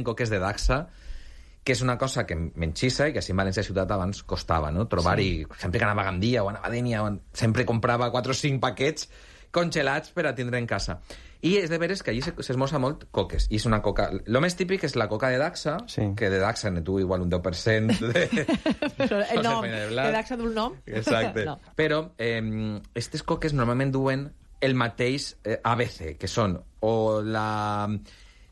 coques de Dacsa, que és una cosa que m'enxissa i que així en València ciutat abans costava, no? Trobar-hi, sempre que anava a Gandia o anava a Dénia, sempre comprava 4 o 5 paquets congelats per a tindre en casa. I és de veres que allí s'esmorza molt coques. I és una coca... Lo més típic és la coca de Dacsa, que de Dacsa ne tu igual un 10% de... Però el nom, de Dacsa d'un nom. Exacte. No. Però aquestes coques normalment duen el mateix ABC, que són o la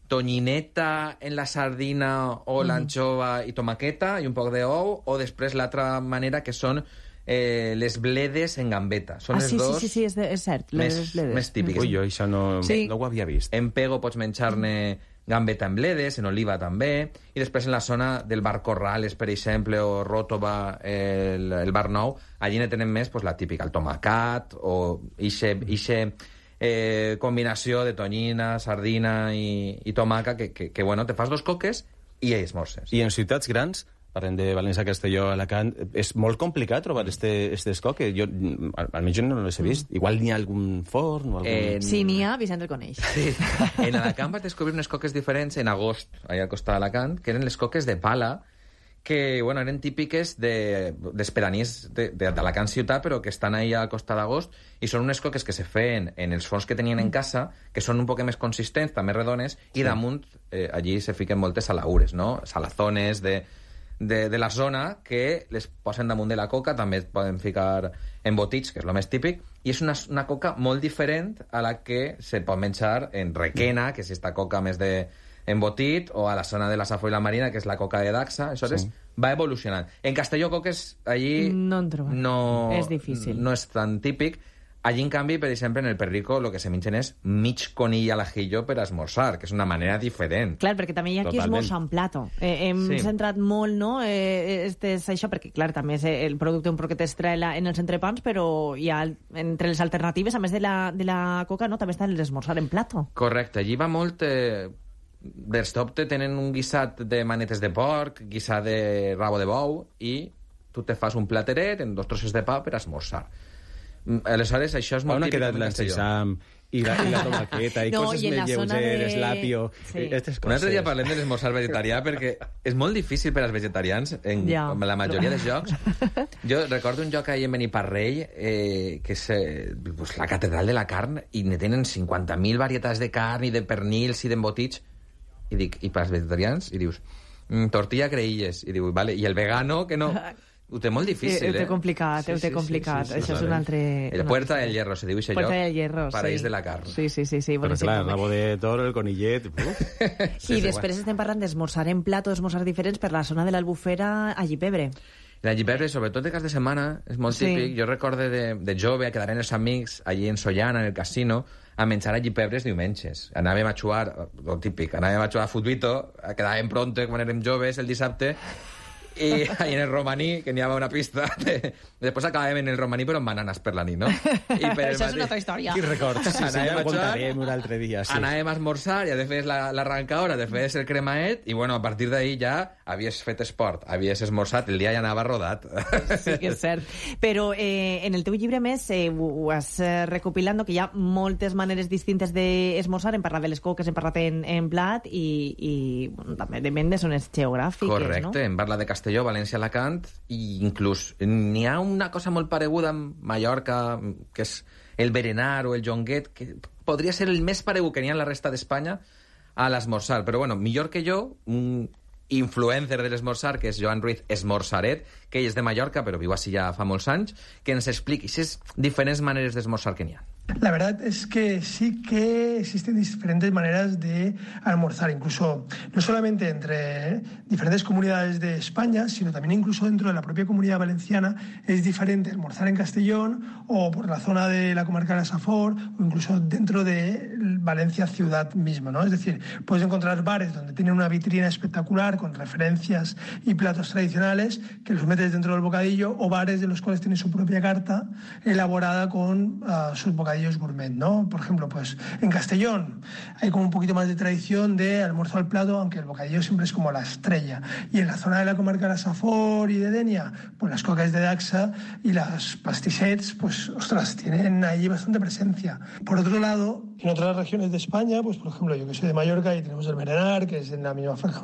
tonyineta en la sardina o l'anxova i tomaqueta i un poc d'ou, o després l'altra manera que són les bledes en gambeta. Són els dos sí, és cert, més típics. Ui, jo això no ho havia vist. En pego pots menjar-ne gambeta en bledes, en oliva també, i després en la zona del bar Corrales, per exemple, o Ròtova, el bar Nou, allí ne tenen més la típica, el tomacat, o ixe combinació de tonyina, sardina i tomaca, que bueno, te fas 2 coques i esmorces. I en ciutats grans, parlem de València, Castelló, Alacant, és molt complicat trobar aquestes coques. Jo, almenys jo no les he vist. Igual n'hi ha algun forn o algun... Sí, n'hi ha, Vicent el coneix. Sí. En Alacant vas descobrir unes coques diferents en agost, allà al costat d'Alacant, que eren les coques de pala, que bueno, eren típiques d'esperanís d'Alacant ciutat, però que estan ahí al costat d'agost, i són unes coques que se feien en els forns que tenien en casa, que són un poc més consistents, també redones, i damunt allí se fiquen moltes salaures, no? Salazones de la zona que les posen damunt de la coca, també es poden ficar embotits, que és el més típic, i és una coca molt diferent a la que se pot menjar en Requena, que és esta coca més d'embotit, o a la zona de la Safor i la Marina, que és la coca de Dacsa. Això va evolucionant. En Castelló, coques, allí no en trobem. És difícil. No és tan típic. Allí, en canvi, per exemple, en el Perrico, el que se mengen és mig conill al ajillo per esmorzar, que és una manera diferent. Clar, perquè també hi ha qui esmorza en plato. Hem centrat molt, no?, això, perquè, clar, també el producte un poquet estrella en els entrepans, però hi ha, entre les alternatives, a més de la coca, no?, també està l'esmorzar en plato. Correcte. Allí va molt... D'Erstopte tenen un guisat de manetes de porc, guisat de rabo de bou, i tu te fas un plateret en 2 trossos de pa per esmorzar. Aleshores, això és molt típic. On ha quedat l'enseixam i la tomaqueta i coses més lleugeres, l'apio... Un altre dia parlem de l'esmorzar vegetarià, perquè és molt difícil per als vegetarians en la majoria dels llocs. Jo recordo un lloc ahir en Beniparrell, que és la catedral de la carn, i ne tenen 50.000 varietats de carn i de pernils i d'embotits. I dic, i per als vegetarians? I dius, tortilla creïlles. I diu, vale, i el vegano, que no... Ho té molt difícil, Ho té complicat. Això és un altre... El Puerta del Hierro, se diu això lloc. Puerta del Hierro, Paraís de la carn. Sí. Però clar, el rabo de toro, el conillet... I després estem parlant d'esmorzar en plat o esmorzar diferents per la zona de l'Albufera a Llipebre. La Llipebre, sobretot de cas de setmana, és molt típic. Jo recorde de jove, a quedar amb els amics allí en Sollana, en el casino, a menjar a Llipebres diumenges. Anàvem a jugar, lo típic, anàvem a jugar a futbito, quedàvem pronto quan érem joves el dissabte, i en el romaní, que n'hi havia una pista, després acabàvem en el romaní però amb bananes per la nit, no? Això és una altra història. Qui records? Sí, ja ho contarem un altre dia. Anàvem a esmorzar, ja de fes l'arrencadora, de fes el cremaet, i bueno, a partir d'ahir ja havies fet esport, havies esmorzat, el dia ja anava rodat. Sí que és cert. Però en el teu llibre, més, ho has recopilant, que hi ha moltes maneres distintes d'esmorzar. Hem parlat de les coques, hem parlat en plat, i bueno, també depèn de zones geogràfiques, no? Correcte, hem parlat de Castelló, València, Alacant, i inclús n'hi ha una cosa molt pareguda amb Mallorca, que és el berenar o el jonguet, que podria ser el més paregut que n'hi ha en la resta d'Espanya a l'esmorzar. Però bueno, millor que jo, un influencer de l'esmorzar, que és Joan Ruiz Esmorzaret, que ell és de Mallorca, però viu així ja fa molts anys, que ens expliqui aquestes diferents maneres d'esmorzar que n'hi ha. La verdad es que sí que existen diferentes maneras de almorzar, incluso no solamente entre diferentes comunidades de España, sino también incluso dentro de la propia comunidad valenciana. Es diferente almorzar en Castellón o por la zona de la comarca de la Safor, o incluso dentro de Valencia ciudad misma, ¿no? Es decir, puedes encontrar bares donde tienen una vitrina espectacular con referencias y platos tradicionales que los metes dentro del bocadillo, o bares de los cuales tienen su propia carta elaborada con sus bocadillos bocadillos gourmet, ¿no? Por ejemplo, pues en Castellón hay como un poquito más de tradición de almuerzo al plato, aunque el bocadillo siempre es como la estrella. Y en la zona de la comarca de la Safor y de Denia, pues las coques de Daxa y las pastissets, pues, ostras, tienen ahí bastante presencia. Por otro lado, en otras regiones de España, pues por ejemplo, yo que soy de Mallorca y tenemos el berenar, que es en la misma franja